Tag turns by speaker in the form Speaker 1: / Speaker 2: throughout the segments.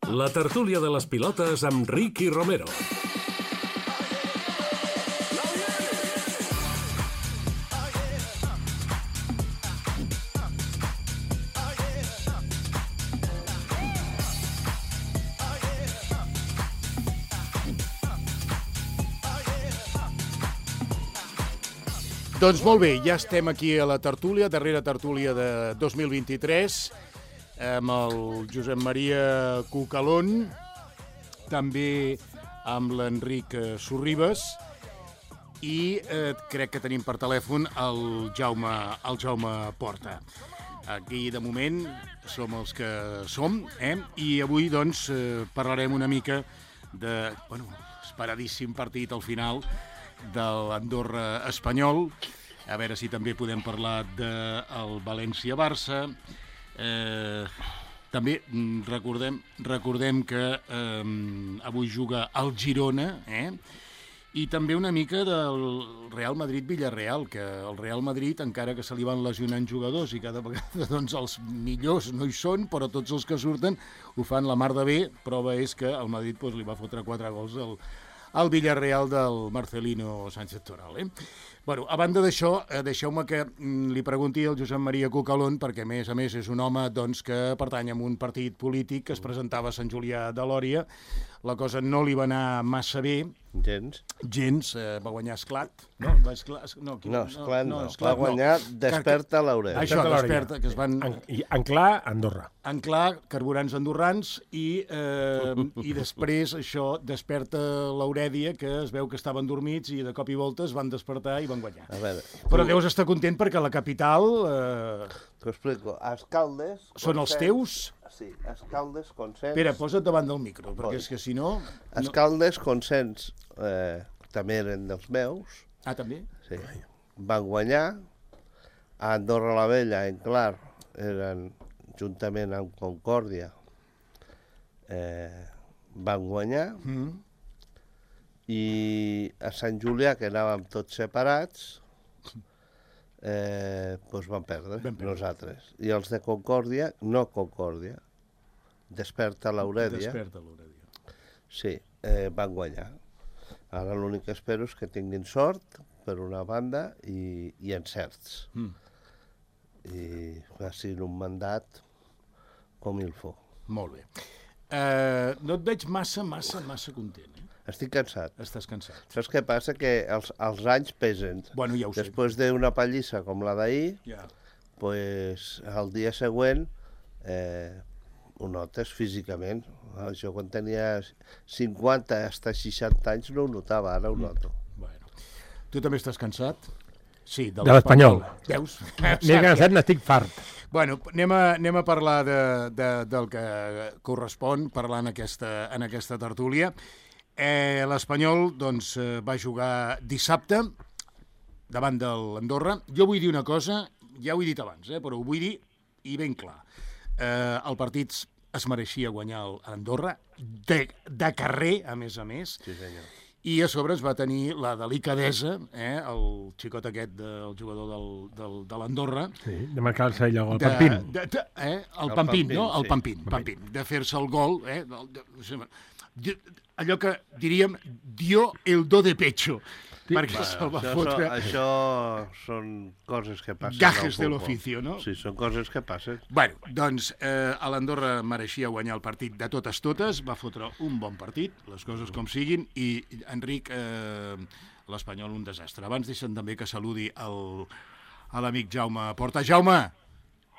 Speaker 1: La tertúlia de les pilotes amb Ricky Romero.
Speaker 2: Doncs molt bé, ja estem aquí a la tertúlia, darrera tertúlia de 2023, amb el Josep Maria Cucalón, també amb l'Enric Sorribes, i crec que tenim per telèfon el Jaume Porta. Aquí, de moment, som els que som, i avui, doncs, parlarem una mica de, esperadíssim partit al final de l'Andorra espanyol. A veure si també podem parlar del València-Barça. També recordem que avui juga el Girona, i també una mica del Real Madrid-Villarreal, que el Real Madrid, encara que se li van lesionant jugadors i cada vegada doncs, els millors no hi són, però tots els que surten ho fan la mar de bé. Prova és que el Madrid li va fotre 4 gols al Villarreal del Marcelino Sánchez Toral. Bueno, a banda d'això, deixeu-me que li pregunti al Josep Maria Cucalón, perquè a més és un home doncs, que pertany a un partit polític que es presentava a Sant Julià de Lòria. La cosa no li va anar massa bé. Gens. Va guanyar Esclat.
Speaker 3: Esclat no. Va guanyar Desperta l'Aurèlia.
Speaker 2: Això, Desperta, que es van...
Speaker 4: Anclar, Andorra.
Speaker 2: Anclar, carburants andorrans, i després això, Desperta l'Aurèlia, que es veu que estaven dormits i de cop i volta es van despertar i van guanyar. Però deus estar content perquè la capital...
Speaker 3: T'ho explico. Escaldes...
Speaker 2: Són els teus?
Speaker 3: Sí, Escaldes, Consens...
Speaker 2: Espera, posa't davant del micro, perquè és que si no...
Speaker 3: Escaldes, Consens, també eren dels meus.
Speaker 2: Ah, també?
Speaker 3: Sí. Van guanyar. A Andorra la Vella, en Clar, eren juntament amb Concòrdia, van guanyar. I a Sant Julià, que anàvem tots separats, doncs van perdre nosaltres. I els de Concòrdia, no Concòrdia, Desperta l'Aurèlia. Sí, van guanyar. Ara l'únic que espero és que tinguin sort, per una banda, i encerts. I facin un mandat com il faut.
Speaker 2: Molt bé. No et veig massa content,
Speaker 3: Estic cansat.
Speaker 2: Estàs cansat.
Speaker 3: Saps què passa? Que els anys pesen.
Speaker 2: Bueno, ja ho sé.
Speaker 3: Després d'una pallissa com la d'ahir, pues, el dia següent ho notes físicament. Jo quan tenia 50 fins a 60 anys no ho notava, ara ho noto.
Speaker 2: Bueno. Tu també estàs cansat? Sí,
Speaker 4: de l'Espanyol.
Speaker 2: Veus?
Speaker 4: M'he cansat, n'estic fart.
Speaker 2: Bueno, anem a parlar del que correspon parlar en aquesta tertúlia. L'Espanyol doncs, va jugar dissabte davant de l'Andorra. Jo vull dir una cosa, ja ho he dit abans, però ho vull dir i ben clar. El partit es mereixia guanyar l'Andorra, de carrer, a més.
Speaker 3: Sí, senyor.
Speaker 2: I a sobre es va tenir la delicadesa, el xicot aquest, el jugador de l'Andorra...
Speaker 4: Sí, de marcar-se allò, el Pampín.
Speaker 2: El Pampín, no? El Pampín, de fer-se el gol, allò que diríem, dio el do de pecho, perquè se'l va fotre...
Speaker 3: Això són coses que passen.
Speaker 2: Gajes de l'oficio, no?
Speaker 3: Sí, són coses que passen.
Speaker 2: Bueno, doncs, l'Andorra mereixia guanyar el partit de totes, va fotre un bon partit, les coses com siguin, i Enric, l'Espanyol, un desastre. Abans deixen també que saludi a l'amic Jaume Porta. Jaume!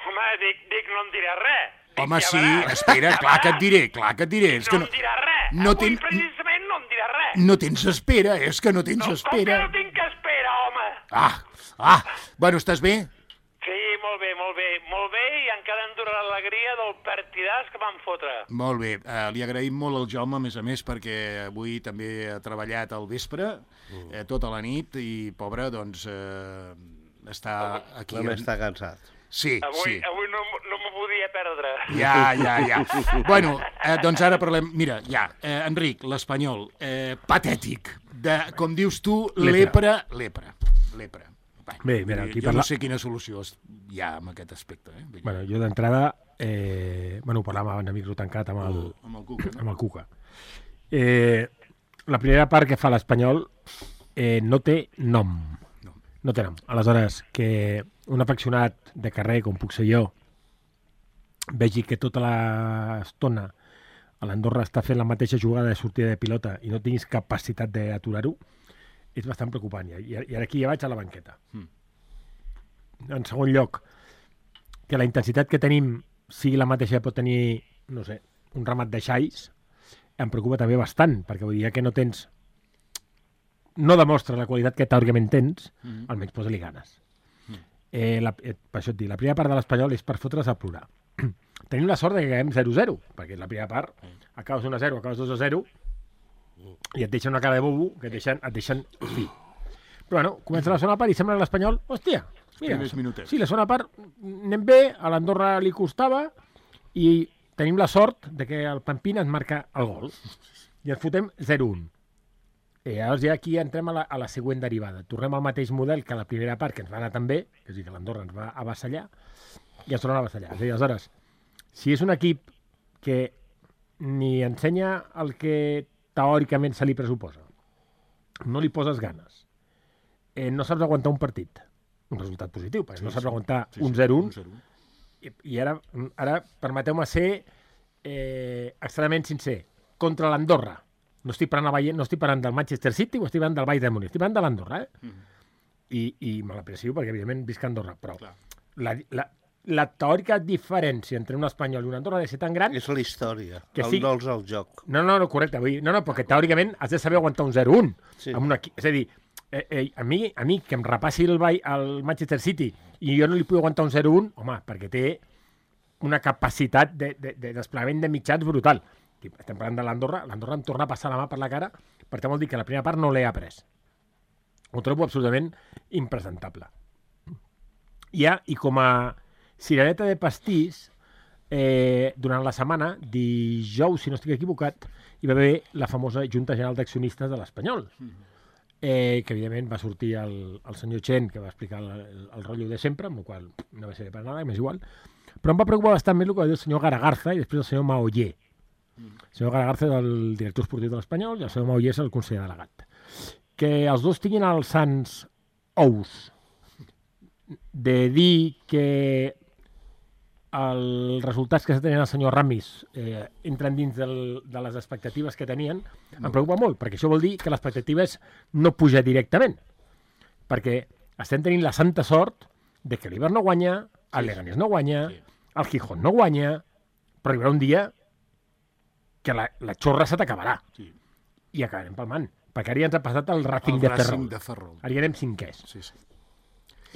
Speaker 5: Home, dic, no em diràs res.
Speaker 2: Home, sí, espera, clar que et diré.
Speaker 5: No em diràs res. Avui precisament no em diràs res.
Speaker 2: No tens espera, és que no tens espera.
Speaker 5: Com que no tinc espera, home?
Speaker 2: Bueno, estàs bé?
Speaker 5: Sí, molt bé, i encara em dura l'alegria del partidàs que van fotre.
Speaker 2: Molt bé, li agraïm molt al Jaume, a més, perquè avui també ha treballat al vespre, tota la nit, i pobre, doncs, està aquí...
Speaker 3: Només està cansat.
Speaker 2: Sí.
Speaker 5: Avui no m'ho podia perdre.
Speaker 2: Ja. Bueno, doncs ara parlem... Mira, Enric, l'Espanyol, patètic, com dius tu, lepra.
Speaker 4: Bé, mira, aquí
Speaker 2: jo no sé quina solució hi ha en aquest aspecte.
Speaker 4: Bueno, jo d'entrada Bueno, ho parlàvem en micro tancat amb el
Speaker 2: Cuca.
Speaker 4: Amb el Cuca. La primera part que fa l'Espanyol no té nom. No té nom. Aleshores, que un afeccionat de carrer, com puc ser jo, vegi que tota l'estona a l'Andorra està fent la mateixa jugada de sortida de pilota i no tinguis capacitat d'aturar-ho, és bastant preocupant. I ara aquí ja vaig a la banqueta. En segon lloc, que la intensitat que tenim sigui la mateixa que pot tenir, no sé, un ramat de xais, em preocupa també bastant, perquè vull dir que no tens... No demostra la qualitat que teòricament tens, almenys posa-li ganes. Per això et dic, la primera part de l'Espanyol és per fotre's a plorar. Tenim la sort de que acabem 0-0, perquè la primera part acabes 1-0, acabes 2-0 i et deixen una cara de bobo que et deixen fi. Però bueno, comença la segona part i sembla que l'Espanyol, hòstia, mira, sí, la segona part anem bé, a l'Andorra li costava i tenim la sort de que el Pampín ens marca el gol i ens fotem 0-1. Llavors ja aquí entrem a la següent derivada. Tornem al mateix model que la primera part, que ens va anar tan bé, és a dir, que l'Andorra ens va avassallar, i ens tornen a avassallar. És a dir, aleshores, si és un equip que ni ensenya el que teòricament se li pressuposa, no li poses ganes, no saps aguantar un partit, un resultat positiu, perquè no saps aguantar un 0-1, i ara permeteu-me ser extremadament sincer, contra l'Andorra. No estic parlant del Manchester City o estic parlant del Bayern de Múnich, estic parlant de l'Andorra, I me l'aprecio perquè, evidentment, visc a Andorra, però la teòrica diferència entre un espanyol i un Andorra ha de ser tan gran...
Speaker 3: És la història,
Speaker 4: dols
Speaker 3: al joc.
Speaker 4: No, correcte. Perquè teòricament has de saber aguantar un 0-1. Sí. És a dir, a mi que em repassi el Manchester City i jo no li puc aguantar un 0-1, home, perquè té una capacitat de desplegament de mitjans brutal. Estem parlant de l'Andorra em torna a passar la mà per la cara, perquè vol dir que la primera part no l'he après. Ho trobo absolutament impresentable. I com a cirereta de pastís, durant la setmana, dijous, si no estic equivocat, hi va haver la famosa Junta General d'Accionistes de l'Espanyol, que evidentment va sortir el senyor Chen, que va explicar el rotllo de sempre, amb el qual no va ser per nada, m'és igual, però em va preocupar bastant més el que va dir el senyor Garagarza i després el senyor Maoller. El senyor Garagarza és el director esportiu de l'Espanyol i el senyor Maoller és el conseller delegat. Que els dos tinguin els sants ous de dir que els resultats que tenien el senyor Ramis entren dins de les expectatives que tenien, em preocupa molt, perquè això vol dir que l'expectativa és no pujar directament. Perquè estem tenint la santa sort de que l'Iber no guanya, el Leganés no guanya, el Gijón no guanya, però arribarà un dia que la xorra se t'acabarà. I acabarem palmant. Perquè ara ja ens ha passat el Racing de Ferrol. Ara ja anem cinquers.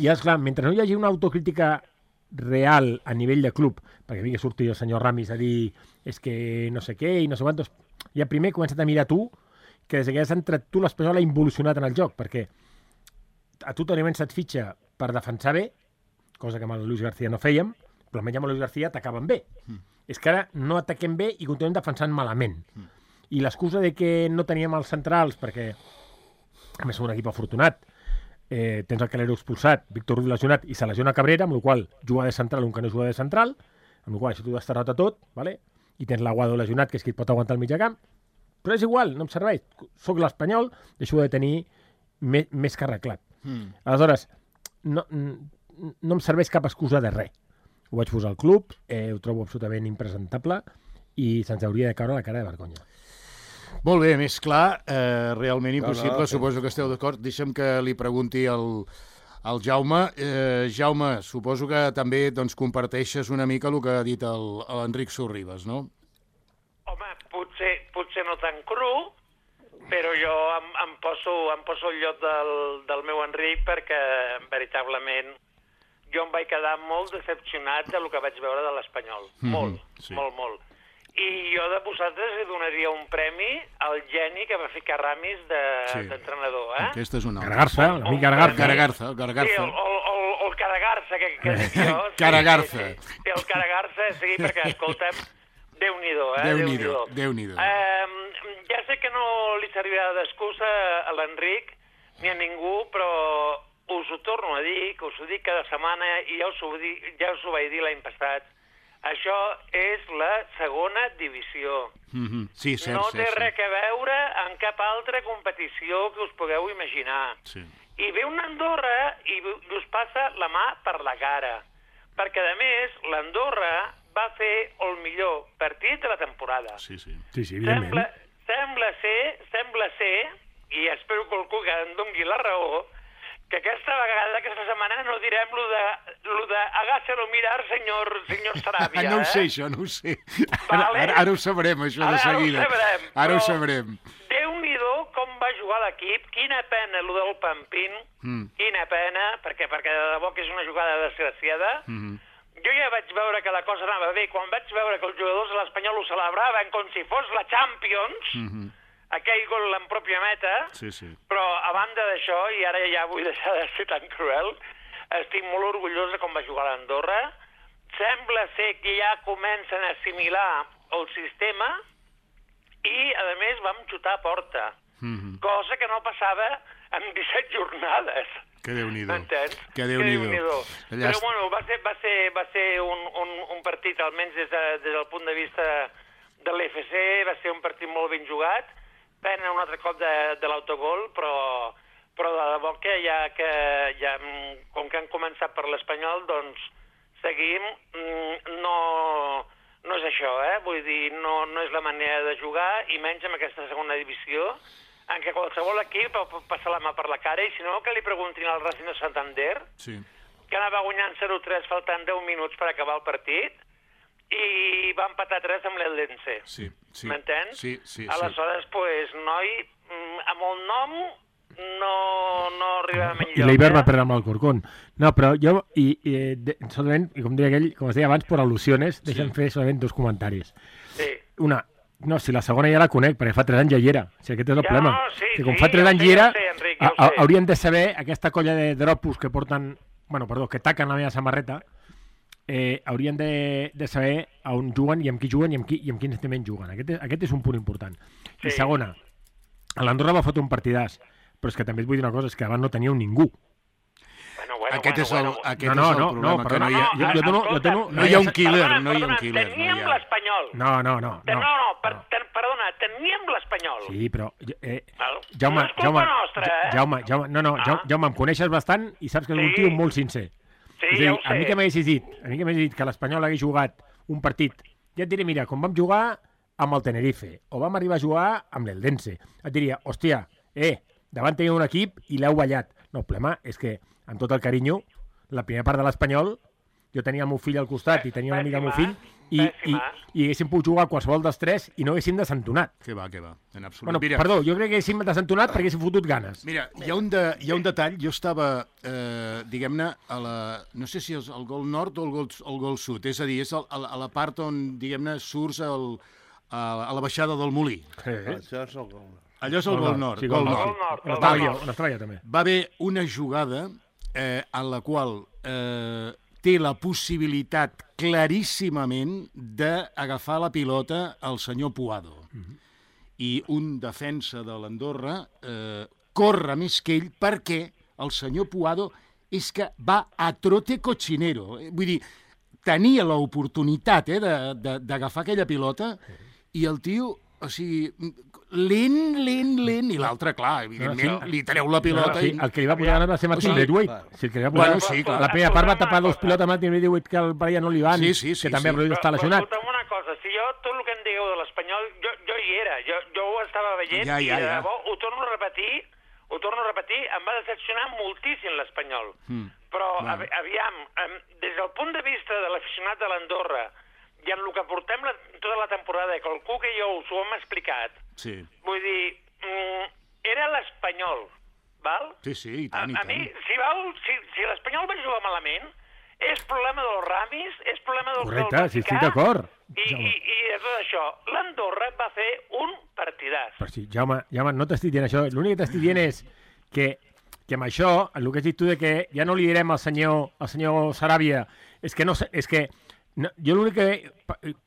Speaker 4: I esclar, mentre no hi hagi una autocrítica real a nivell de club, perquè vingui a sortir el senyor Ramis a dir és que no sé què i no sé quantos, ja primer comença't a mirar tu que des que has entrat tu l'Espanyol ha involucionat en el joc, perquè a tu teòricament se't fitxa per defensar bé, cosa que amb el Luis García no fèiem, però almenys amb el Luis García atacaven bé. És que ara no ataquem bé i continuem defensant malament. I l'excusa de que no teníem els centrals, perquè a més som un equip afortunat, tens el Calero expulsat, Víctor Ruiz lesionat i se lesiona Cabrera, amb la qual juga de central un que no juga de central, amb la qual si tu has tardat a tot, vale? I tens l'Aguado lesionat, que és qui et pot aguantar el mitjacamp, però és igual, no em serveix. Soc l'Espanyol, deixo de tenir més que arreglat. Aleshores, no em serveix cap excusa de res. Ho vaig posar al club, ho trobo absolutament impresentable i se'ns hauria de caure la cara de vergonya.
Speaker 2: Molt bé, més clar, realment impossible, suposo que esteu d'acord. Deixa'm que li pregunti al Jaume. Jaume, suposo que també comparteixes una mica el que ha dit l'Enric Sorribas, no?
Speaker 5: Home, potser no tan cru, però jo em poso al lloc del meu Enric perquè, veritablement, jo em vaig quedar molt decepcionat del que vaig veure de l'Espanyol. Molt. I jo de vosaltres li donaria un premi al geni que va ficar Ramis d'entrenador.
Speaker 2: Aquesta és una altra.
Speaker 4: Garagarza, l'amic Garagarza.
Speaker 5: Sí, el Caragarza, que dic jo.
Speaker 2: Caragarza.
Speaker 5: Sí, el Caragarza, sí, perquè, escolta'm, Déu-n'hi-do,
Speaker 2: Déu-n'hi-do.
Speaker 5: Ja sé que no li servirà d'excusa a l'Enric ni a ningú, però us ho torno a dir, que us ho dic cada setmana i ja us ho vaig dir l'any passat. Això és la segona divisió.
Speaker 2: Sí, cert,
Speaker 5: no té
Speaker 2: cert.
Speaker 5: res a veure en cap altra competició que us pugueu imaginar.
Speaker 2: Sí.
Speaker 5: I ve una Andorra i us passa la mà per la cara. Perquè, a més, l'Andorra va fer el millor partit de la temporada.
Speaker 2: Sí,
Speaker 4: evidentment.
Speaker 5: Sembla ser, i espero que algú que em doni la raó, que aquesta vegada, aquesta setmana, no direm lo de hágaselo mirar, senyor Sarabia.
Speaker 2: No ho sé, això, no ho sé.
Speaker 5: Vale.
Speaker 2: Ara ho sabrem, això de seguida. Ara ho sabrem.
Speaker 5: Déu-n'hi-do com va jugar l'equip, quina pena lo del Pampín, quina pena, perquè de debò que és una jugada desgraciada. Jo ja vaig veure que la cosa anava bé, quan vaig veure que els jugadors de l'Espanyol ho celebraven com si fos la Champions, aquell gol en pròpia meta, però a banda d'això, i ara ja vull deixar de ser tan cruel, estic molt orgullós de com va jugar l'Andorra. Sembla ser que ja comencen a assimilar el sistema i, a més, vam xutar a porta, cosa que no passava en 17 jornades.
Speaker 2: Que Déu-n'hi-do.
Speaker 5: M'entens?
Speaker 2: Que Déu-n'hi-do.
Speaker 5: Però, bueno, va ser un partit, almenys des del punt de vista de l'FC, va ser un partit molt ben jugat. Pena un altre cop de l'autogol, però de debò que ja com que han començat per l'Espanyol, doncs seguim. No és això, vull dir, no és la manera de jugar, i menys en aquesta segona divisió, en què qualsevol equip pot passar la mà per la cara, i si no, que li preguntin al Racing de Santander, que anava guanyant 0-3 faltant 10 minuts per acabar el partit, i va empatar 3 amb l'Eldense. M'entens?
Speaker 2: Sí.
Speaker 5: Aleshores, pues, noi, amb el nom no arribem enlloc.
Speaker 4: I l'Eiber va perdre amb el Corcón. No, però jo, solament, i com deia aquell, com es deia abans, per al·lusiones, deixa'm fer solament 2 comentaris.
Speaker 5: Sí.
Speaker 4: Una, no, si la segona ja la conec, perquè fa 3 anys ja hi era. O sigui, aquest és el problema. Que com fa 3 anys hi era, haurien de saber, aquesta colla de dropos que porten, que taquen la meva samarreta, haurien de saber a on juguen i amb qui juguen i amb quins estiments juguen. Aquest és un punt important. I segona, l'Andorra va fotre un partidàs, però és que també et vull dir una cosa, és que abans no teníeu ningú.
Speaker 2: Aquest és el problema, que no hi ha un killer.
Speaker 5: Teníem l'Espanyol.
Speaker 4: No.
Speaker 5: Perdona, teníem l'Espanyol.
Speaker 4: Sí, però...
Speaker 5: No és culpa nostra,
Speaker 4: Jaume, em coneixes bastant i saps que és un tio molt sincer.
Speaker 5: Sí, ja ho sé.
Speaker 4: A mi que m'haguessis dit que l'Espanyol hagués jugat un partit, ja et diré, mira, com vam jugar amb el Tenerife, o vam arribar a jugar amb l'Eldense, et diria, hòstia, davant tenia un equip i l'heu ballat. No, el problema és que, amb tot el carinyo, la primera part de l'Espanyol, jo tenia el meu fill al costat i tenia una amiga del meu fill, i haguéssim pogut jugar qualsevol dels 3 i no haguéssim desentonat.
Speaker 2: Que va, en absolut.
Speaker 4: Perdó, jo crec que haguéssim desentonat perquè haguéssim fotut ganes.
Speaker 2: Mira, hi ha un detall, jo estava, diguem-ne, no sé si és el gol nord o el gol sud, és a dir, és a la part on, diguem-ne, surts a la baixada del Molí.
Speaker 3: Això és el gol nord.
Speaker 2: Allò és el gol nord.
Speaker 4: On estava jo també.
Speaker 2: Va haver una jugada en la qual té la possibilitat claríssimament d'agafar la pilota el senyor Puado. I un defensa de l'Andorra corre més que ell perquè el senyor Puado és que va a trote cochinero. Vull dir, tenia l'oportunitat d'agafar aquella pilota i el tio, o sigui, lent, i l'altre, clar, evidentment, li treu la pilota.
Speaker 4: El que li va posar ganes va ser Martin Braithwaite. La primera part va tapar 2 pilotes a Martin Braithwaite que al Brian no li van, que també està lesionat.
Speaker 5: Però escolta'm una cosa, si jo tot el que em digueu de l'Espanyol, jo hi era, jo ho estava veient i de debò, ho torno a repetir, em va decepcionar moltíssim l'Espanyol. Però, aviam, des del punt de vista de l'aficionat de l'Andorra, i en el que portem tota la temporada, que el Cuc i jo us ho hem explicat, vull dir, era l'Espanyol, val?
Speaker 2: Sí, i tant,
Speaker 5: A mi, si l'Espanyol va jugar malament, és problema dels Ramis, és problema del
Speaker 4: Correcte, sí, estic d'acord.
Speaker 5: I de tot això, l'Andorra va fer un partidàs.
Speaker 4: Però sí, Jaume, no t'estic dient això. L'únic que t'estic dient és que amb això, el que has dit tu de que ja no li direm al senyor Sarabia, és que jo l'únic que...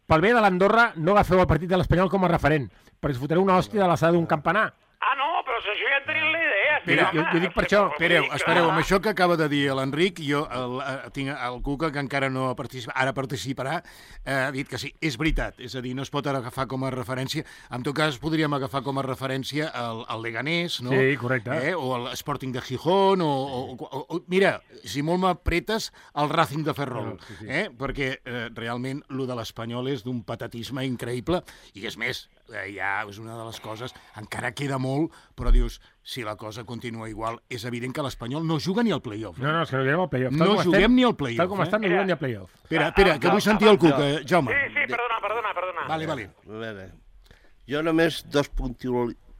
Speaker 4: Pel bé de l'Andorra no agafeu el partit de l'Espanyol com a referent, perquè es fotreu una hòstia de l'alçada d'un campanar.
Speaker 5: No, però això ja en tenim la idea,
Speaker 4: jo dic per això.
Speaker 2: Espereu, amb això que acaba de dir l'Enric, jo tinc el Cuca, que encara no ha participat, ara participarà, ha dit que sí, és veritat, és a dir, no es pot agafar com a referència, en tot cas podríem agafar com a referència el Leganés, no?
Speaker 4: Sí, correcte.
Speaker 2: O el Sporting de Gijón, o mira, si molt m'apretes, el Racing de Ferrol, perquè realment lo de l'Espanyol és d'un patatisme increïble, i és més, ja és una de les coses, encara queda molt, però dius, si la cosa continua igual, és evident que l'Espanyol no juga ni al play-off.
Speaker 4: No, és que no juguem al play-off.
Speaker 2: No juguem ni al play-off.
Speaker 4: Tal com estan, no juguem ni al play-off.
Speaker 2: Espera, que vull sentir el Cuca, Jaume.
Speaker 5: Sí, perdona.
Speaker 2: Vale.
Speaker 3: A veure, jo només dos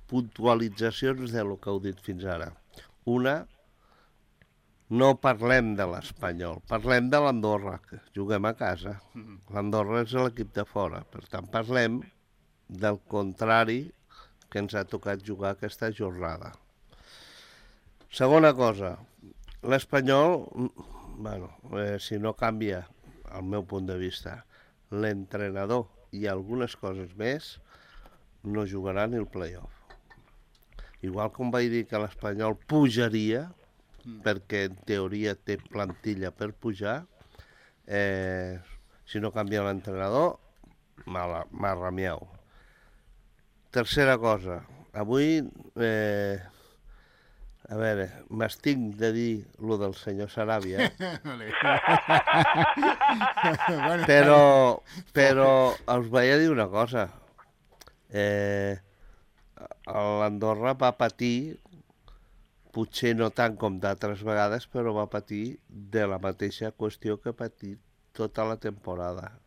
Speaker 3: puntualitzacions de lo que heu dit fins ara. Una, no parlem de l'Espanyol, parlem de l'Andorra, que juguem a casa. L'Andorra és l'equip de fora, per tant parlem del contrari que ens ha tocat jugar aquesta jornada. Segona cosa, l'Espanyol, si no canvia, al meu punt de vista, l'entrenador i algunes coses més, no jugarà ni el play-off. Igual com vaig dir que l'Espanyol pujaria, perquè en teoria té plantilla per pujar, si no canvia l'entrenador, marramiau. Tercera cosa, avui, a veure, m'estinc de dir lo del senyor Saràbia, però us vaig a dir una cosa. L'Andorra va patir, potser no tant com d'altres vegades, però va patir de la mateixa qüestió que ha patit tota la temporada,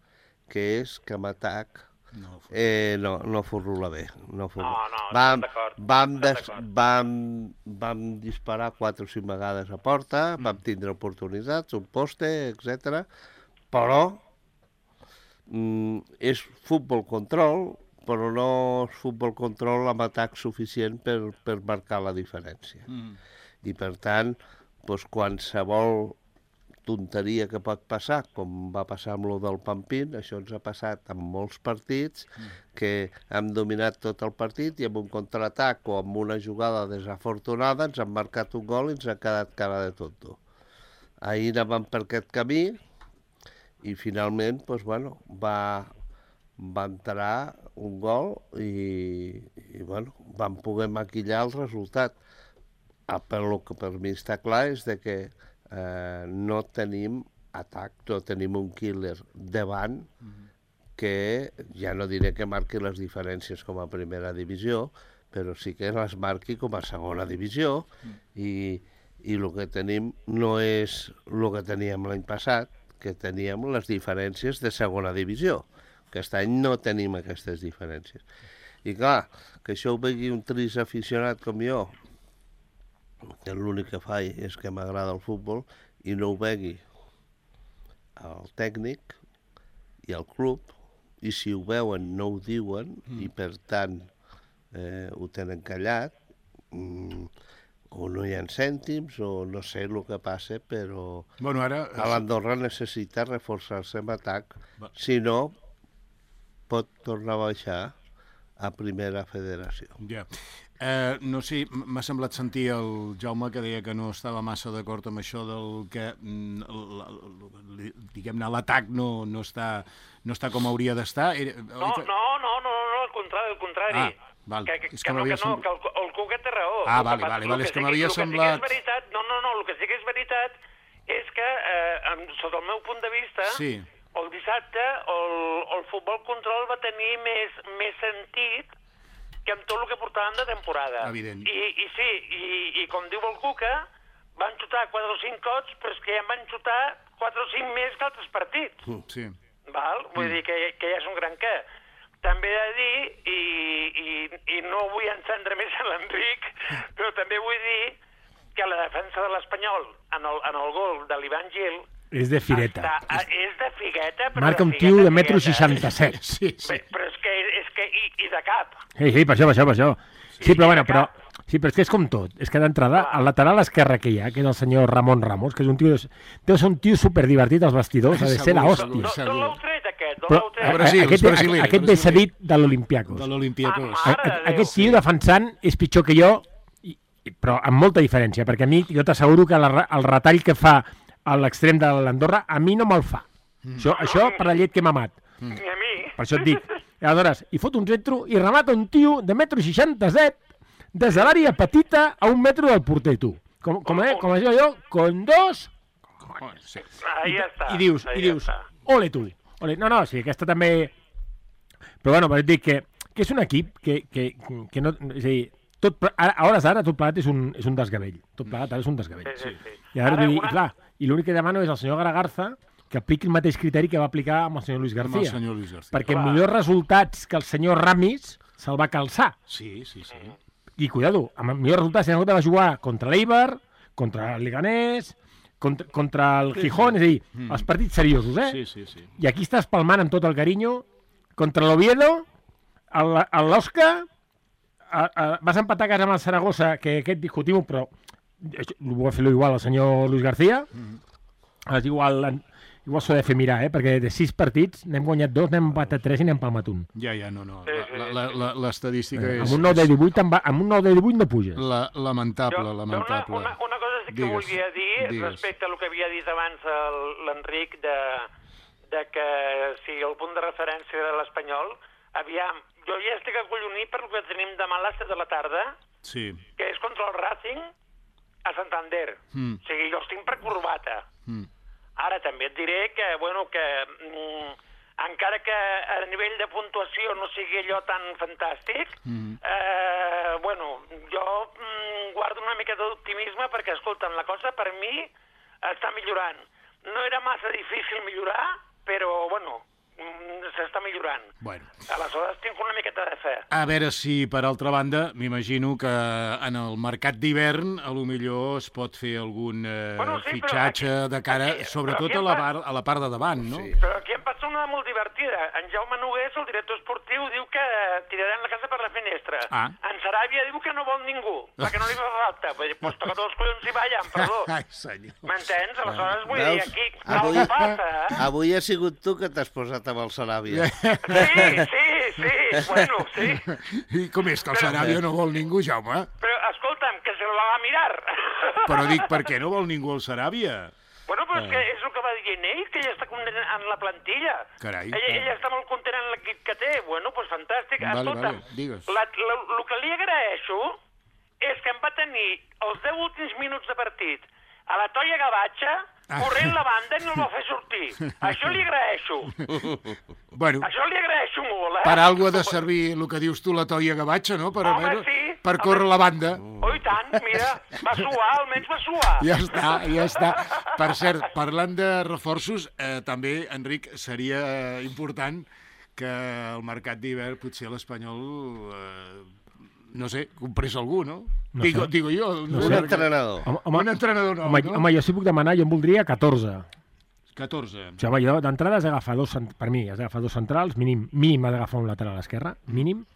Speaker 3: que és que amb atac no furrula bé. Vam disparar 4 o 5 vegades a porta, vam tindre oportunitats, un poste, etc. Però és futbol control, però no és futbol control amb atac suficient per marcar la diferència. I per tant, qualsevol tonteria que pot passar, com va passar amb lo del Pampín, això ens ha passat en molts partits, que hem dominat tot el partit i amb un contraatac o amb una jugada desafortunada ens han marcat un gol i ens ha quedat cara de tonto. Ahir anàvem per aquest camí i finalment va entrar un gol i vam poder maquillar el resultat. Però el que per mi està clar és que no tenim atac, no tenim un killer davant que ja no diré que marqui les diferències com a primera divisió, però sí que les marqui com a segona divisió i el que tenim no és el que teníem l'any passat, que teníem les diferències de segona divisió. Aquest any no tenim aquestes diferències. I clar, que això ho vegi un trist aficionat com jo, que l'únic que faig és que m'agrada el futbol, i no ho vegi el tècnic i el club, i si ho veuen no ho diuen, i per tant ho tenen callat, o no hi ha cèntims, o no sé el que passa, però l'Andorra necessita reforçar-se en atac, si no pot tornar a baixar a primera federació.
Speaker 2: No sé, m'ha semblat sentir el Jaume que deia que no estava massa d'acord amb això del que, diguem-ne, l'atac no està com hauria d'estar.
Speaker 5: No, al contrari. Que el Cuca té raó.
Speaker 2: Vale, és que m'havia semblat...
Speaker 5: El que sí que és veritat és que, sota el meu punt de vista, el dissabte el futbol control va tenir més sentit que amb tot el que portàvem de temporada.
Speaker 2: Evident.
Speaker 5: I com diu el Cuca, van xutar 4 o 5 cops, però és que ja en van xutar 4 o 5 més que altres partits.
Speaker 2: Sí.
Speaker 5: Vull dir que ja és un gran què. També he de dir, i no vull encendre més a l'Enric, però també vull dir que la defensa de l'Espanyol en el gol de l'Ivan Gil
Speaker 4: és de fireta.
Speaker 5: És de figueta, però
Speaker 4: marca un tio de 1,67 m.
Speaker 2: Sí.
Speaker 5: Però és que i de cap.
Speaker 4: Sí, per això. Sí, però és que és com tot. És que d'entrada, al lateral esquerre que hi ha, que és el senyor Ramon Ramos, que és un tio... Deu ser un tio superdivertit als vestidors, ha de ser l'hòstia.
Speaker 5: D'on l'heu tret, aquest?
Speaker 4: Aquest ve cedit de l'Olympiacos.
Speaker 2: De l'Olympiacos.
Speaker 4: Aquest tio defensant és pitjor que jo però amb molta diferència, perquè a mi, jo t'asseguro que el retall que fa a l'extrem de l'Andorra, a mi no me'l fa. Això per la llet que m'ha mamat.
Speaker 5: Ni a mi.
Speaker 4: Per això et dic. Aleshores, hi fot un centro i remata un tio de 1,67 m des de l'àrea petita a 1 metre del porter, tu. Com això jo, con dos...
Speaker 2: Sí.
Speaker 5: Ahí està.
Speaker 4: I dius, ole tu. Ole. No, sí, aquesta també... Però bueno, per dir que és un equip que no... És a dir, a hores d'ara tot plegat és un desgavell. Tot plegat ara és un desgavell.
Speaker 5: Sí.
Speaker 4: I ara vull dir, clar, i l'únic que demano és al senyor Garagarza que apliqui el mateix criteri que va aplicar amb el senyor Luis García. Perquè millors resultats que el senyor Ramis se'l va calçar.
Speaker 2: Sí.
Speaker 4: I cuidado, amb millors resultats el va jugar contra l'Eibar, contra el Leganés, contra el Gijón, és a dir, els partits seriosos,
Speaker 2: Sí.
Speaker 4: I aquí estàs palmant amb tot el carinyo contra l'Oviedo, l'Osca, vas empatar a casa amb el Saragossa, que aquest discutim-ho, però ho va fer igual el senyor Luis García, igual s'ho ha de fer mirar, perquè de 6 partits n'hem guanyat 2, n'hem empatat 3 i n'hem palmat un.
Speaker 2: Ja, no. L'estadística és...
Speaker 4: Amb un 9 de 18 no puges.
Speaker 2: Lamentable.
Speaker 5: Una cosa sí que volia dir respecte al que havia dit abans l'Enric de que si el punt de referència era l'Espanyol, aviam, jo ja estic acollonit per el que tenim demà a les 7 de la tarda, que és contra el Racing a Santander. O sigui, jo estic per corbata. Ara també et diré que, encara que a nivell de puntuació no sigui allò tan fantàstic, jo guardo una mica d'optimisme perquè, escolta'm, la cosa per mi està millorant. No era massa difícil millorar, però, s'està millorant. Aleshores tinc una miqueta de fe.
Speaker 2: A veure si, per altra banda, m'imagino que en el mercat d'hivern a lo millor es pot fer algun fitxatge de cara, sobretot a la part de davant, no?
Speaker 5: Però aquí em passa una molt divertida. En Jaume Nogués, el director esportiu, diu que tiraran la casa per la finestra. En Saràbia diu que no vol ningú, perquè no li fa falta. Doncs toca tots els collons i ballen, perdó. M'entens? Aleshores vull dir, aquí no passa,
Speaker 3: Avui ha sigut tu que t'has posat amb el Saràbia.
Speaker 5: Sí.
Speaker 2: I com és que el Saràbia no vol ningú, Jaume?
Speaker 5: Però, escolta'm, que se la va mirar.
Speaker 2: Però dic, per què no vol ningú el Saràbia?
Speaker 5: Però és que és el que va dient ell, que ella està content en la plantilla.
Speaker 2: Carai.
Speaker 5: Ella està molt content en l'equip que té. Pues fantàstic. Escolta'm,
Speaker 2: digues.
Speaker 5: El que li agraeixo és que em va tenir els 10 últims minuts de partit a la Toia Gavatxa, corrent la banda i no el va fer sortir. Això li agraeixo. Això li agraeixo molt,
Speaker 2: Per algú ha de servir el que dius tu, la Toia Gavatxa, no? Per córrer la banda.
Speaker 5: Oh, i tant, mira, va suar, almenys va suar.
Speaker 2: Ja està. Per cert, parlant de reforços, també, Enric, seria important que el mercat d'hivern, potser l'Espanyol... no sé, comprés algú, no? Digo jo.
Speaker 3: Un entrenador.
Speaker 2: Un entrenador nou, no?
Speaker 4: Home, jo sí puc demanar, jo en voldria 14.
Speaker 2: 14.
Speaker 4: O sigui, jo d'entrada has d'agafar per mi, has d'agafar 2 centrals, mínim has d'agafar un lateral a l'esquerra, mínim.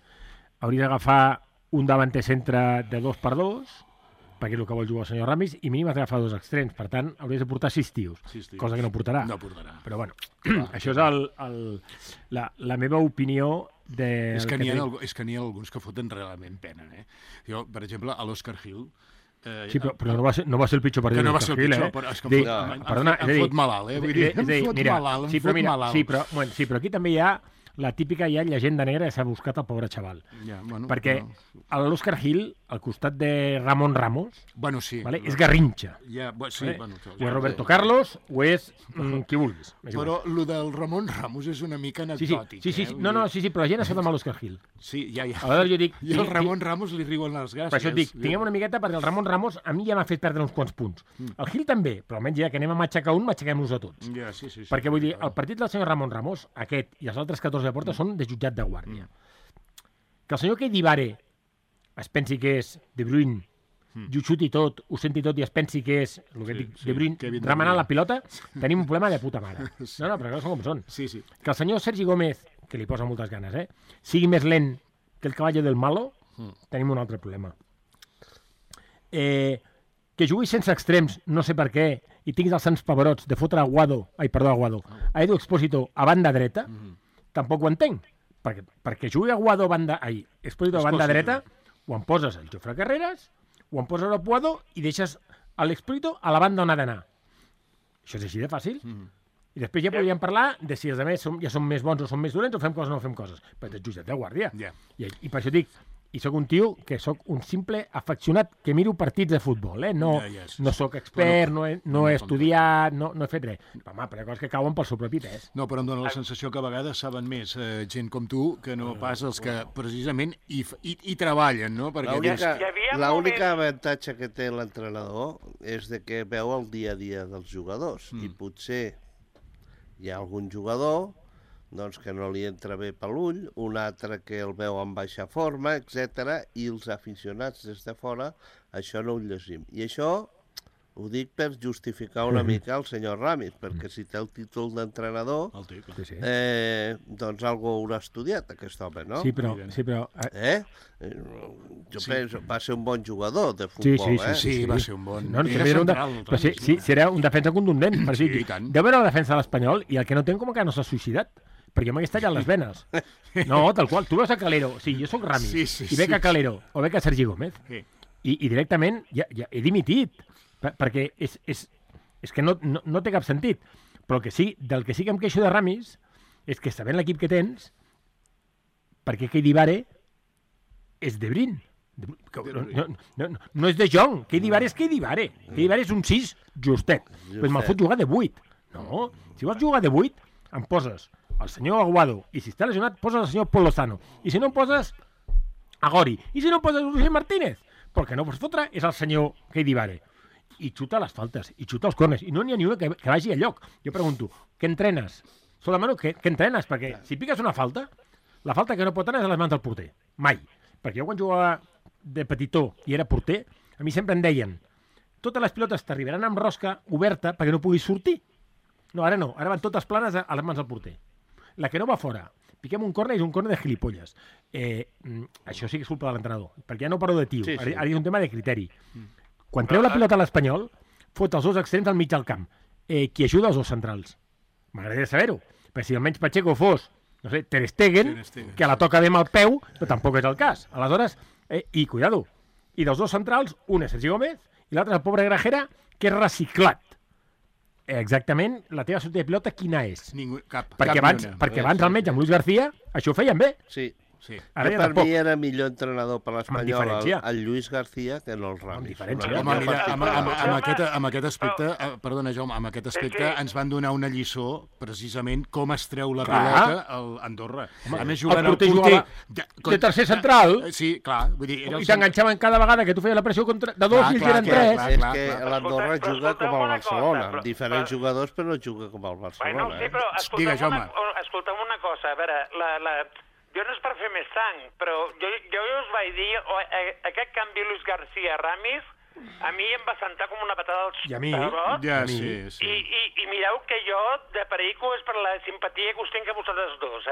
Speaker 4: Hauries d'agafar un davanter centre de 2x2, perquè és el que vol jugar el senyor Ramis, i mínim has d'agafar 2 extrems. Per tant, hauries de portar 6 tios, cosa que no portarà. Però bueno, això és la meva opinió.
Speaker 2: És que n'hi ha alguns que foten realment pena, Jo, per exemple, a l'Òscar Gil...
Speaker 4: Sí, però no va ser el pitjor partit d'Òscar Gil,
Speaker 2: però és que em fot malalt, Vull dir, em fot malalt.
Speaker 4: Sí, però aquí també hi ha la típica llegenda negra que s'ha buscat el pobre xaval. Perquè l'Òscar Gil, al costat de Ramon Ramos, és Garrincha. O és Roberto Carlos o és qui vulguis.
Speaker 2: Però el del Ramon Ramos és una mica anecdòtic.
Speaker 4: Sí, però la gent es fot amb l'Òscar Gil.
Speaker 2: Sí, ja.
Speaker 4: I
Speaker 2: el Ramon Ramos li riuen les gràcies.
Speaker 4: Per això et dic, tinguem una miqueta, perquè el Ramon Ramos a mi ja m'ha fet perdre uns quants punts. El Gil també, però almenys ja que anem a matxacar un, matxaquem-nos a tots. Perquè vull dir, el partit del senyor Ramon Ramos, aquest i els altres 14 de porta, són de jutjat de guàrdia. Que el senyor Keidibare es pensi que és De Bruyne, ho xuti tot, ho senti tot i es pensi que és, el que dic, De Bruyne, remenant la pilota, tenim un problema de puta mare. No, però són com són. Que el senyor Sergi Gómez, que li posa moltes ganes, sigui més lent que el caballo del malo, tenim un altre problema. Que jugui sense extrems, no sé per què, i tinguis els sants pavarots de fotre a Edu Expósito a banda dreta, tampoc ho entenc, perquè jugui a Guado Expósito a banda dreta, o em poses el Jofre Carreras o em poses l'apuado i deixes l'explícito a la banda on ha d'anar. Això és així de fàcil. I després ja podríem parlar de si els altres ja són més bons o són més dolents o fem coses o no fem coses. Però ets jutjat de guàrdia. I per això dic, i sóc un tio que sóc un simple afeccionat que miro partits de futbol, no sóc expert, no he estudiat, no he fet res. Home, però hi ha coses que cauen pel seu propi pes.
Speaker 2: No, però em dóna la sensació que a vegades saben més gent com tu que no pas els que precisament hi treballen, no?
Speaker 3: L'únic avantatge que té l'entrenador és de que veu el dia a dia dels jugadors i potser hi ha algun jugador que no li entra bé per l'ull, un altre que el veu en baixa forma, etc. I els aficionats des de fora això no ho llegim. I això ho dic per justificar una mica el senyor Ramis, perquè si té el títol d'entrenador, doncs algú haurà estudiat aquest home, no?
Speaker 4: Sí, però...
Speaker 3: Jo penso, va ser un bon jugador de futbol,
Speaker 2: Sí, va ser un bon...
Speaker 4: Era un defensa contundent. Deu veure la defensa de l'Espanyol i el que no té com que no s'ha suïcidat. Perquè m'hagués tallat les venes. No, tal qual. Tu veus a Calero. Sí, jo sóc Ramis. I veig a Calero o veig a Sergi Gómez. I directament ja he dimitit. Perquè és que no té cap sentit. Però del que sí que em queixo de Ramis és que sabent l'equip que tens, perquè Keidi Bare és de Brin. No és de Jong. Keidi Bare és Keidi Bare. Keidi Bare és un 6 justet. Però me'l fot jugar de 8. No, si vols jugar de 8, em poses el senyor Aguado, i si està lesionat, poses el senyor Pol Lozano, i si no em poses a Gori, i si no em poses Roger Martínez, però el que no pots fotre és el senyor Keidi Bare. I xuta les faltes, i xuta els corners, i no n'hi ha ni una que vagi a lloc. Jo pregunto, què entrenes? Solament què entrenes? Perquè si piques una falta, la falta que no pot anar és a les mans del porter. Mai. Perquè jo quan jugava de petitó i era porter, a mi sempre em deien totes les pilotes t'arribaran amb rosca oberta perquè no puguis sortir. No, ara no. Ara van totes planes a les mans del porter. La que no va fora, piquem un córner i és un córner de gilipolles. Això sí que és culpa de l'entrenador, perquè ja no parlo de tio, ara és un tema de criteri. Quan treu la pilota a l'Espanyol, fot els dos extrems al mig del camp. Qui ajuda els dos centrals? M'agradaria saber-ho, perquè si almenys Pacheco fos, no sé, Ter Stegen, que la toca bé amb el peu, però tampoc és el cas. Aleshores, i cuidado, i dels dos centrals, un és Sergi Gómez i l'altre és el pobre Grajera, que és reciclat. Exactament, la teva sortida de pilota quina és? Perquè abans el metge amb Luis García això ho feien bé.
Speaker 3: Sí. Per mi era millor entrenador per l'Espanyol el Lluís García que no el Ramis.
Speaker 2: Amb aquest aspecte, perdona Jaume, amb aquest aspecte ens van donar una lliçó precisament com es treu la pilota a Andorra. A més jugant
Speaker 4: el porter de tercer central.
Speaker 2: Sí, clar.
Speaker 4: I t'enganxaven cada vegada que tu feies la pressió de dos i ells eren tres.
Speaker 3: És que l'Andorra juga com el Barcelona, amb diferents jugadors però no juga com el Barcelona.
Speaker 5: Sí, però escolta'm una cosa, a veure, jo no és per fer més sang, però jo us vaig dir, aquest canvi Luis García-Ramis, a mi em va sentar com una patada als perots. I mireu que jo, de perico, és per la simpatia que us tinc a vosaltres dos,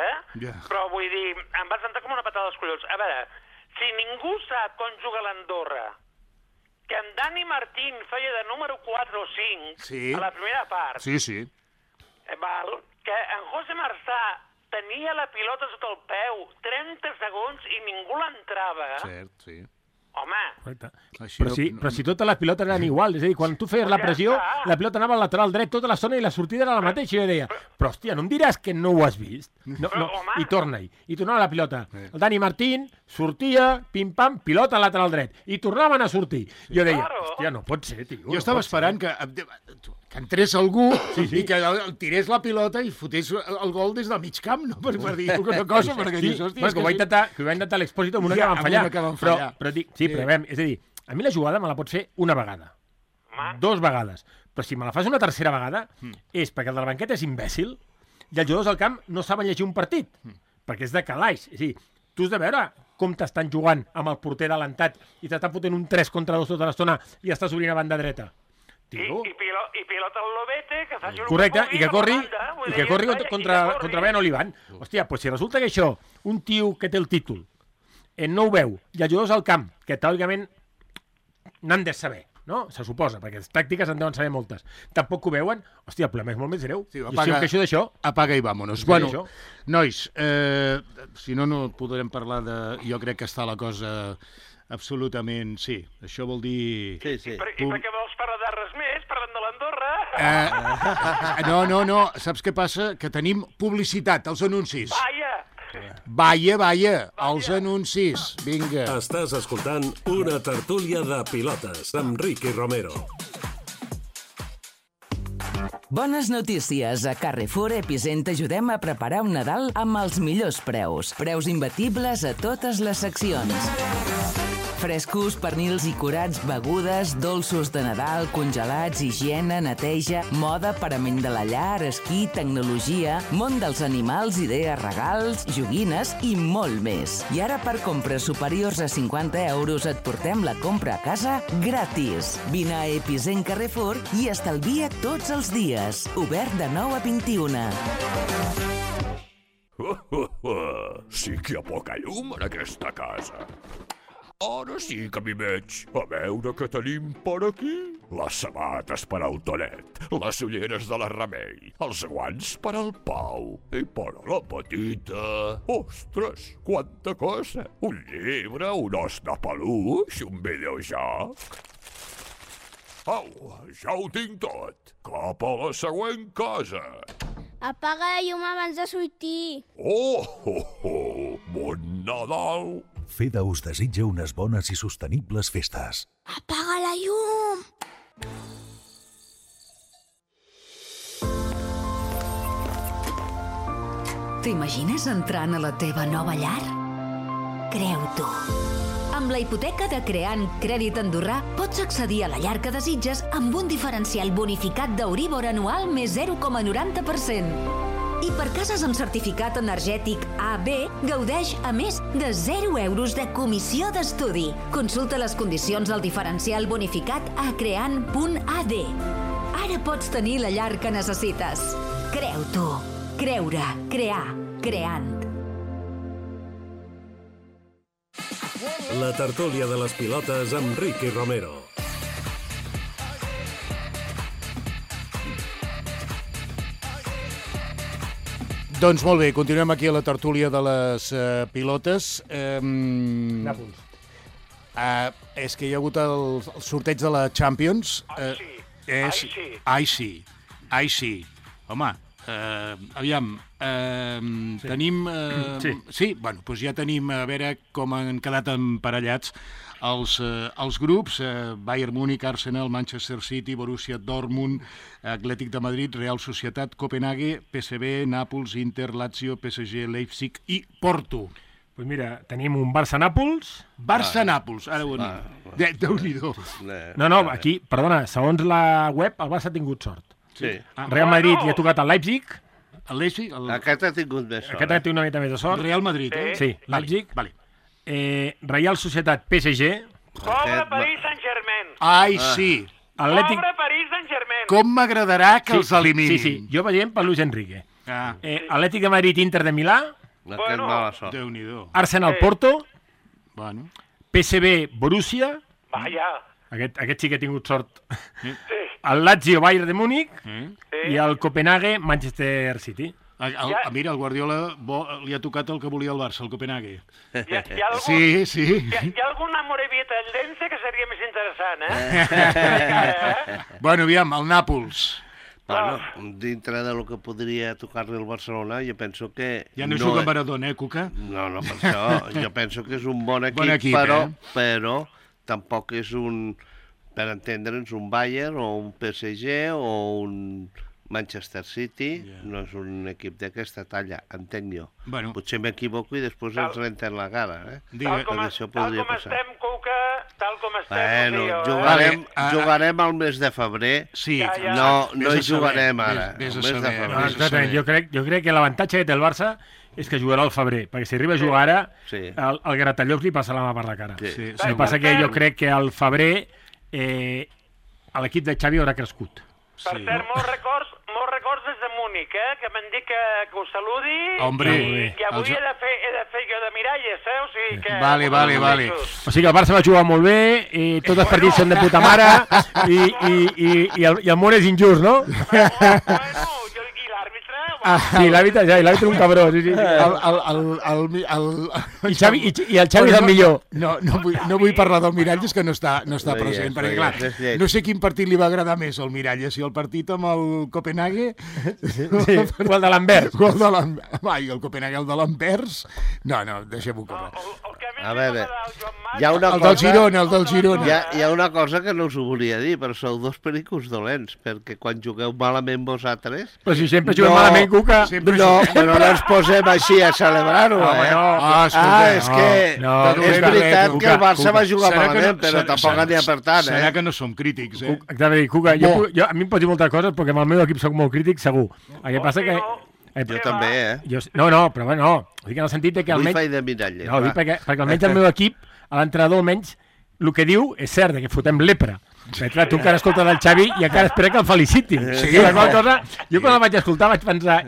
Speaker 5: Però vull dir, em va sentar com una patada als collons. A veure, si ningú sap com juga l'Andorra, que en Dani Martín feia de número 4 o 5 a la primera part, que en José Marzà tenia la pilota sota el peu 30 segons i ningú l'entrava.
Speaker 2: Cert, sí.
Speaker 5: Home.
Speaker 4: Però si totes les pilotes eren igual, és a dir, quan tu feies la pressió, la pilota anava al lateral dret tota l'estona i la sortida era la mateixa. I jo deia, però hòstia, no em diràs que no ho has vist? I torna-hi. I tornava la pilota. El Dani Martín sortia, pim-pam, pilota al lateral dret. I tornaven a sortir. Jo deia, hòstia, no pot ser, tio.
Speaker 2: Jo estava esperant que entrés algú i que tirés la pilota i fotés el gol des del mig camp, no? Per dir alguna cosa.
Speaker 4: Que ho va intentar l'Expósito amb una que van fallar. Però dic, però és a dir, a mi la jugada me la pots fer una vegada, 2 vegades, però si me la fas una tercera vegada és perquè el de la banqueta és imbècil i els jugadors del camp no saben llegir un partit, perquè és de calaix. És a dir, tu has de veure com t'estan jugant amb el porter adelantat i t'estan fotent un 3 contra 2 tota l'estona i estàs obrint a banda dreta.
Speaker 5: I pilota el Lobete, que faci un...
Speaker 4: Correcte, i que corri contra Brian Olivan. Hòstia, doncs si resulta que això, un tio que té el títol, no ho veu, i els jugadors al camp, que teòricament n'han de saber, no? Se suposa, perquè les tàctiques en deuen saber moltes. Tampoc ho veuen, hòstia, el problema és molt més greu. Jo si em queixo d'això...
Speaker 2: Apaga i vámonos. Bueno, nois, si no podrem parlar de... Jo crec que està la cosa Absolutament, sí. Això vol dir...
Speaker 3: Sí.
Speaker 5: I per què vols parlar de res més? Parlant de l'Andorra?
Speaker 2: No. Saps què passa? Que tenim publicitat, els anuncis.
Speaker 5: Vaja,
Speaker 2: Els anuncis. Vinga.
Speaker 1: Estàs escoltant una tertúlia de pilotes amb Ricky Romero.
Speaker 6: Bones notícies. A Carrefour Epicent t'ajudem a preparar un Nadal amb els millors preus. Preus imbatibles a totes les seccions. Frescos, pernils i curats, begudes, dolços de Nadal, congelats, higiene, neteja, moda, parament de la llar, esquí, tecnologia, món dels animals, idees, regals, joguines i molt més. I ara per compres superiors a 50 euros et portem la compra a casa gratis. Vine a Epicent Carrefour i estalvia tots els dies. Obert de 9 a 21.
Speaker 7: Sí que hi ha poca llum en aquesta casa. Ara sí que m'hi veig. A veure què tenim per aquí. Les sabates per al Tonet, les ulleres de la Remei, els guants per al Pau i per a la petita. Ostres, quanta cosa! Un llibre, un os de peluix, un videojoc. Au, ja ho tinc tot. Cap a la següent casa.
Speaker 8: Apaga la llum abans de sortir.
Speaker 7: Bon Nadal!
Speaker 9: FEDA us desitja unes bones i sostenibles festes.
Speaker 8: Apaga la llum!
Speaker 10: T'imagines entrant a la teva nova llar? Creu-t'ho. Amb la hipoteca de Creant Crèdit Andorrà pots accedir a la llar que desitges amb un diferencial bonificat d'Euríbor anual més 0,90%. I per cases amb certificat energètic AB, gaudeix a més de 0 euros de comissió d'estudi. Consulta les condicions del diferencial bonificat a creant.ad. Ara pots tenir la llar que necessites. Creu-t'ho. Creure, crear, creant.
Speaker 1: La tertúlia de les pilotes amb Ricky Romero.
Speaker 2: Doncs molt bé, continuem aquí a la tertúlia de les pilotes.
Speaker 4: Nàpols.
Speaker 2: És que hi ha hagut el sorteig de la Champions. Ai, sí. Home, aviam, tenim... Sí, bueno, doncs ja tenim, a veure com han quedat emparellats els grups, Bayern Múnich, Arsenal, Manchester City, Borussia Dortmund, Atlètic de Madrid, Real Societat, Copenhague, PSV, Nàpols, Inter, Lazio, PSG, Leipzig i Porto.
Speaker 4: Doncs mira, tenim un Barça-Nàpols.
Speaker 2: Barça-Nàpols, ara ho anem. Déu-n'hi-do.
Speaker 4: No, aquí, perdona, segons la web, el Barça ha tingut sort.
Speaker 3: Sí.
Speaker 4: Real Madrid hi ha tocat el Leipzig.
Speaker 2: El Leipzig?
Speaker 3: Aquest ha tingut més sort.
Speaker 4: Aquest ha tingut una mica més de sort.
Speaker 2: Real Madrid,
Speaker 4: Sí, Leipzig.
Speaker 2: Vale.
Speaker 4: Real Societat, PSG.
Speaker 5: Pobre Paris Saint-Germain.
Speaker 2: Ai, sí.
Speaker 5: Pobre Paris Saint-Germain.
Speaker 2: Com m'agradarà que els eliminin.
Speaker 4: Sí, jo veiem per Luis Enrique. Atlètic de Madrid, Inter de Milà.
Speaker 3: Aquest mala sort.
Speaker 2: Déu-n'hi-do.
Speaker 4: Arsenal, Porto.
Speaker 2: Bueno.
Speaker 4: PSV, Borussia.
Speaker 5: Vaja.
Speaker 4: Aquest sí que ha tingut sort.
Speaker 5: Sí.
Speaker 4: El Lazio, Bayern de Múnich. I el Copenhague, Manchester City.
Speaker 2: Mira, el Guardiola li ha tocat el que volia el Barça, el Copenhague.
Speaker 5: Hi ha algun,
Speaker 2: Sí.
Speaker 5: Hi ha alguna morevita al Dense que seria més interessant,
Speaker 2: Bueno, aviam, el Nàpols.
Speaker 3: Bueno, dintre del que podria tocar-li al Barcelona, jo penso que...
Speaker 2: Ja no juga Maradona, Cuca?
Speaker 3: No, per això. Jo penso que és un bon equip, però tampoc és un, per entendre'ns, un Bayern o un PSG o un Manchester City. No és un equip d'aquesta talla, entenc jo.
Speaker 2: Bueno.
Speaker 3: Potser m'equivoco i després ens renten la cara.
Speaker 5: Tal com estem, Cuca, tal com estem...
Speaker 3: Bueno, jugarem al mes de febrer.
Speaker 2: Sí.
Speaker 3: No hi jugarem ara.
Speaker 4: Exactament. Jo crec que l'avantatge que té el Barça és que jugarà al febrer, perquè si arriba a jugar ara, el Gratallops li passa la mà per la cara. El que passa que jo crec que al febrer l'equip de Xavi haurà crescut.
Speaker 5: Per cert, molts records des de Múnich, que m'han dit que us saludi.
Speaker 2: Hombre,
Speaker 5: i avui he de fer jo de miralles, O sigui que...
Speaker 2: Vale.
Speaker 4: O sigui que el Barça va jugar molt bé, i tots els partits són de puta mare, i el món és injust, no?
Speaker 5: Bueno, i l'àrbitre,
Speaker 4: Sí, l'àrbitre és un cabró, sí. I el Xavi és el millor.
Speaker 2: No vull parlar del Miralles, que no està present, perquè clar, no sé quin partit li va agradar més al Miralles, si el partit amb el Copenhague
Speaker 4: o el de l'Anvers.
Speaker 2: Vai, el Copenhague, el de l'Anvers. No, deixem-ho córrer.
Speaker 3: A veure, hi ha una
Speaker 2: cosa... El del Girona.
Speaker 3: Hi ha una cosa que no us ho volia dir, però sou dos pericos dolents, perquè quan jugueu malament vosaltres...
Speaker 4: Però si sempre juguem malament, Cuca...
Speaker 3: No, però no ens posem així a celebrar-ho, és que és veritat que el Barça va jugar malament, però tampoc n'hi ha per tant,
Speaker 2: Serà que no som crítics,
Speaker 4: Cuca, a mi em pots dir moltes coses, perquè amb el meu equip soc molt crític, segur. El que passa que...
Speaker 3: Jo també,
Speaker 4: No, però no. Ho dic en el sentit que almenys...
Speaker 3: Vull fer de Miralles.
Speaker 4: No, ho dic perquè almenys el meu equip, l'entrenador almenys, el que diu és cert, que fotem lepra. Clar, tu encara escoltes el Xavi i encara espera que el felicitin. Jo quan el vaig escoltar vaig pensar...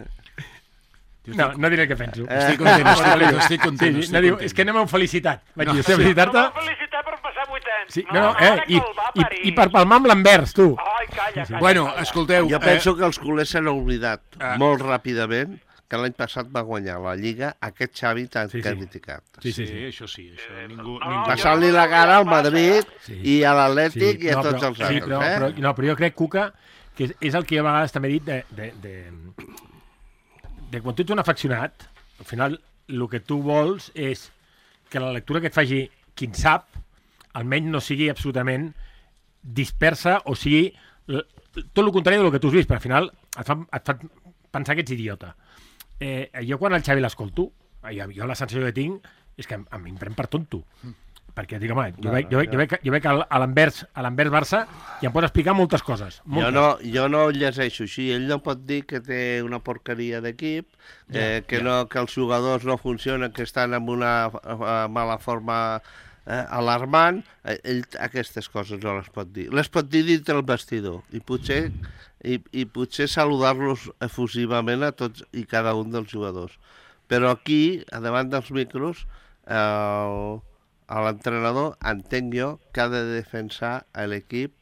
Speaker 4: No diré què penso.
Speaker 2: Estic content.
Speaker 4: És que no m'heu felicitat. Vaig dir, felicitar-te...
Speaker 5: Felicitar per passar 8 anys.
Speaker 4: I per palmar amb l'Anvers, tu.
Speaker 5: Calla.
Speaker 2: Bueno, escolteu...
Speaker 3: Jo penso que els culers s'han oblidat molt ràpidament que l'any passat va guanyar la Lliga aquest Xavi tan criticat.
Speaker 2: Sí, això sí.
Speaker 3: Passant-li la cara al Madrid i a l'Atlètic i a tots els altres.
Speaker 4: Però jo crec, Cuca, que és el que jo a vegades també he dit de quan tu ets un afeccionat, al final el que tu vols és que la lectura que et faci qui en sap almenys no sigui absolutament dispersa o sigui tot el contrari del que tu has vist, però al final et fa pensar que ets idiota. Jo quan el Xavi l'escolto, jo la sensació que tinc és que em pren per tonto. Perquè dic, home, jo veig a l'Anvers Barça i em pot explicar moltes coses.
Speaker 3: Jo no ho llegeixo així. Ell no pot dir que té una porqueria d'equip, que els jugadors no funcionen, que estan en una mala forma alarmant. Ell aquestes coses no les pot dir. Les pot dir dintre el vestidor i potser saludar-los efusivament a tots i cada un dels jugadors. Però aquí, davant dels micros, l'entrenador, entenc jo, que ha de defensar l'equip,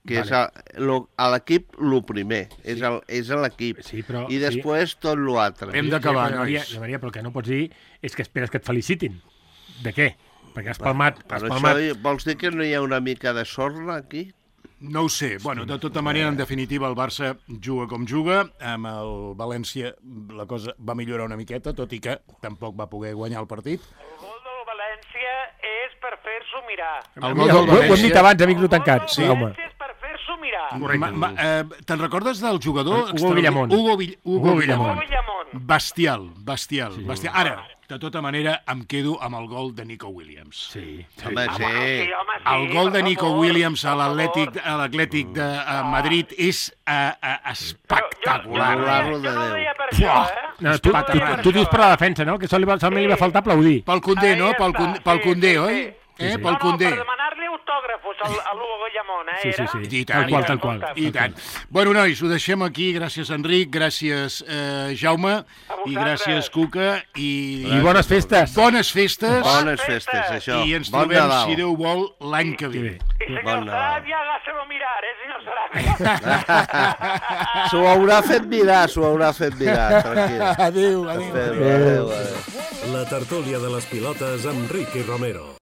Speaker 3: que és l'equip el primer, és l'equip, i després tot l'altre.
Speaker 2: Hem d'acabar, nois.
Speaker 4: Maria, però el que no pots dir és que esperes que et felicitin. De què? Perquè has palmat...
Speaker 3: Vols dir que no hi ha una mica de sorna aquí?
Speaker 2: No ho sé. Bueno, de tota manera, en definitiva, el Barça juga com juga. Amb el València la cosa va millorar una miqueta, tot i que tampoc va poder guanyar el partit.
Speaker 5: El gol del València és per fer-s'ho mirar.
Speaker 4: Ho hem dit abans, amics no tancats.
Speaker 5: El València és per fer-s'ho mirar.
Speaker 2: Te'n recordes del jugador?
Speaker 4: Hugo Villamón.
Speaker 2: Hugo Villamón. Bestial. Ara, de tota manera, em quedo amb el gol de Nico Williams.
Speaker 4: Sí.
Speaker 2: El gol de Nico Williams a l'Atlètic de Madrid és espectacular.
Speaker 5: Jo no ho deia per això,
Speaker 4: Tu dius per la defensa, no? Que solament li va faltar aplaudir.
Speaker 2: Pel Condé, no? Pel Condé, oi? Pel Condé.
Speaker 5: Per demanar-li autògrafos a l'Hugo Villamón,
Speaker 2: Sí. Tal qual. I tant. Bueno, nois, ho deixem aquí. Gràcies, Enric. Gràcies, Jaume. I gràcies, Cuca. I
Speaker 4: bones festes.
Speaker 3: Bones festes, això.
Speaker 2: I ens trobem, si Déu vol, l'any que ve.
Speaker 5: I senyor Sarabia, hágaselo mirar, senyor Sarabia.
Speaker 3: S'ho haurà fet mirar, tranquil.
Speaker 2: Adéu.
Speaker 3: Adéu.
Speaker 1: La tertúlia de les pilotes amb Ricky Romero.